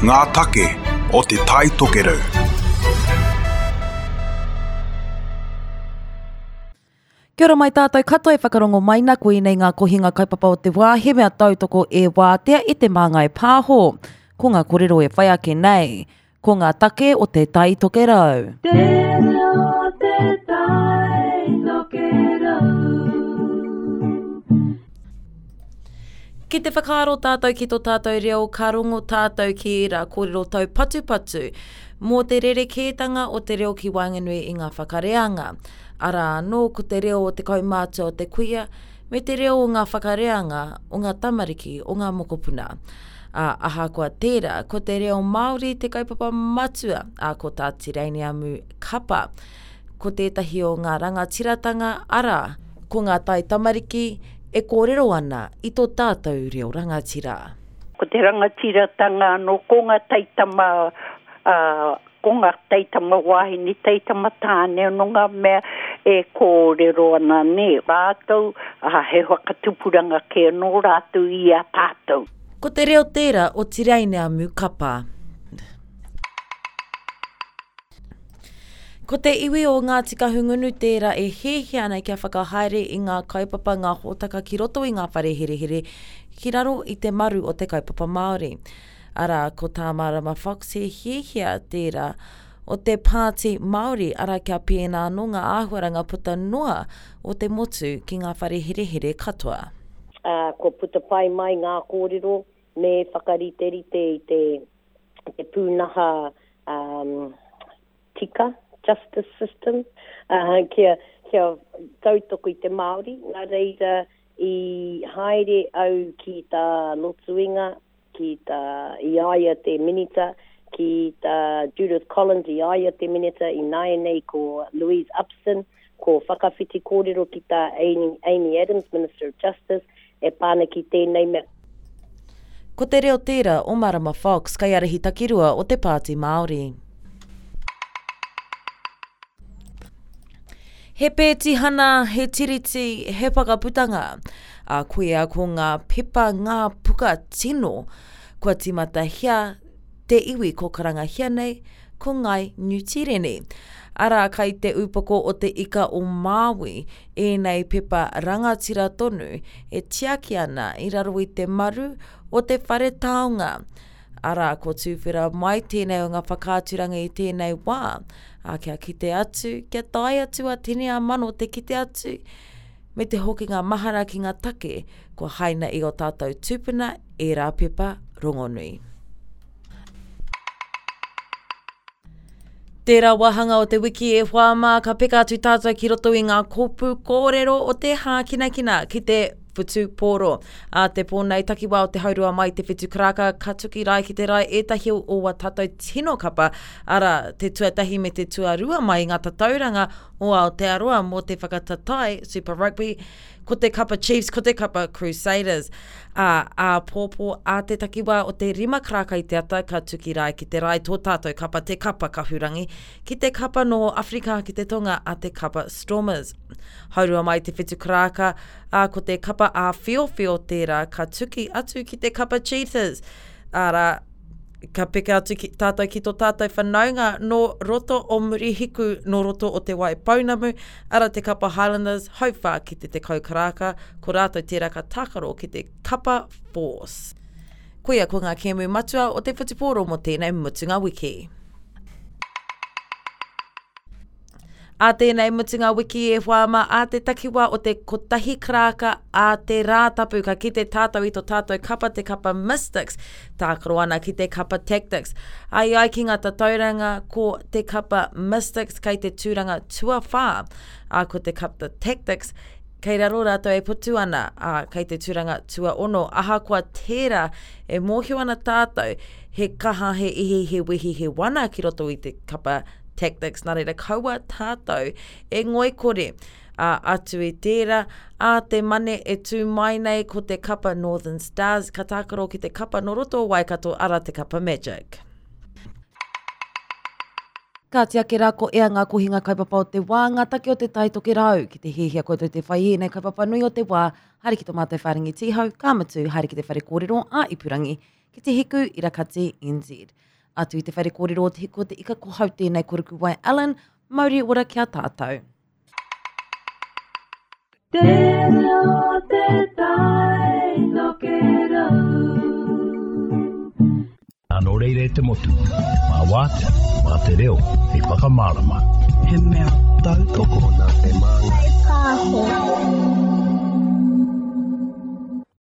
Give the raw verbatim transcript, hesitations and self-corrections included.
Ngā take o Te Tai Tokerau. Kia ora mai tātou katoa e whakarongo mai na koinei ngā kohinga kaupapa o te wā, he mea tautoko e wātea e te Māngai Pāho. Ko ngā kōrero e whai ake nei, ko ngā take o Te Tai Tokerau. Te reo te tai tokerau. Ki te whakaaro tātou ki tō tātou reo, ka rongo tātou ki ērā kōrero taupatupatu mō te rerekētanga o te reo ki waenganui i ngā whakareanga. Arā anō ko te reo o te kaumātua o te kuia, me te reo o ngā whakareanga o ngā tamariki o ngā mokopuna. Ā, ahakoa tērā, ko te reo Māori te kaupapa matua, ā, ko tā Tireiniamu Kapa. Ko tētahi o ngā rangatiratanga, arā, ko ngā tai tamariki e kōrero ana i tō tātou reo rangatira. Ko te rangatiratanga anō, ko ngā taitama, uh, ko ngā taitama wāhine, taitama tāne, anō ngā mea e kōrero ana ne. Rātou, uh, he whakatupuranga kē anō rātou i a tātou. Ko te reo tērā o Tireineamu Kapa. Ko te iwi o Ngāti Kahungunu tērā e hiahia ana kia whakahaere i ngā kaupapa ngā hōtaka ki roto i ngā whare herehere ki raro i te maru o te kaupapa Māori. Arā, ko tā Marama Fox he hiahia tērā o te Pāti Māori, arā kia pēnā anō ngā āhuaranga puta noa o te motu ki ngā whare herehere katoa. Uh, kua puta pai mai ngā kōrero me whakariterite i te, te pūnaha um, tika, justice system, uh, kia, kia tautoko i te Māori. Nā reira i haere au ki tā Lotuinga, ki tā Iaia te Minita, ki tā Judith Collins i aia te Minita, i nāianei ko Louise Upston, ko whakawhiti kōrero ki tā Amy, Amy Adams, Minister of Justice, e pāna ki tēnei mea. Ko te reo tērā o Marama Fox, kaiārahi takirua o te Pāti Māori. He pētihana, he tiriti, he whakaputanga. Ā, koia ko ngā pepa ngā puka tino. Kua tīmatahia te iwi ko karangahia nei, ko Ngai Niu Tīreni. Arā, kai te upoko o te ika o Māui, ēnei pepa rangatira tonu e tiaki ana i raro i te maru o te whare taonga. Arā, ko tūwhera mai tēnei o ngā whakaaturanga i tēnei wā. Ā, kia kite atu, kia tae atu a tini a mano te kite atu, me te hokinga mahara ki ngā take kua haina i o tātou tūpuna ērā pepa rongonui. Tērā wāhanga o te wiki e hoa mā, ka peka atu tātou ki roto i ngā kōpū kōrero o te hākinakina ki te whutupōro. Ā te pō nei takiwā o te haurua mai te whitu karaka, ka tuki rai ki te rai ētahi o wā tātou tino kapa, arā, te tuatahi me te tuarua mai i ngā tatauranga o Aotearoa mō te whakatatae Super Rugby, ko te kapa Chiefs, ko te kapa Crusaders. Ā, āpōpō ā te takiwā o te rima karaka i te ata, ka tuki rai ki te rai tō tātou kapa te kapa Kahurangi, ki te kapa nō Afrika ki te tonga a te kapa Stormers. Haurua mai te whitu karaka, ā, ko te kapa āwhiowhio tērā ka tuki atu ki te kapa Cheetahs. Arā, ka peka atu ki, tātou ki tō tātou whanaunga nō roto o Murihiku, nō roto o Te Waipounamu, ara te kapa Highlanders, hauwhā ki te tekau karaka, ko rātou tērā ka tākaro ki te kapa Force. Koia ko ngā kēmu matua o te whutupōro mō tēnei mutunga wiki. Ā tēnei mutunga wiki e hoa mā, ā te takiwā o te kotahi karaka ā te Rātapu, ka kite tātou i tō tātou kapa te kapa Mystics, tākaro ana ki te kapa Tactics. Ai ai ki ngā tatauranga ko te kapa Mystics kei te tūranga tuawhā, ā ko te kapa Tactics kei raro rātou e putu ana, ā, kei te tūranga tuaono. Ahakoa tērā e mōhio ana tātou, he kaha, he ihi, he wehi, he wana ki roto i te kapa Tactics, nā reira kaua tātou e ngoikore. Ā, atu i tērā, ā te mane e tū mai nei ko te kapa Northern Stars, ka tākaro ki te kapa nō roto o Waikato, arā te kapa Magic. Kāti ake rā ko ea ngā kohinga kaupapa o te wā, ngā take o te Tai Tokerau. Ki te hiahia koutou te whai i ēnei kaupapa nui o te wā, haere ki tō mātou whārangi tīhau, ka mutu, haere ki te whare kōrero ā-ipurangi, ki te hiku irakati N Z. Atu i te whare kōrero o te hiku o te ika ko hau tēnei Korukuwai Allen, mauri ora kia tātou. Te reo te tai tokerau. Nō reira e te motu, mā wātea, mā te reo, hei whakamārama. He mea tautoko nā te māngai. Pāho.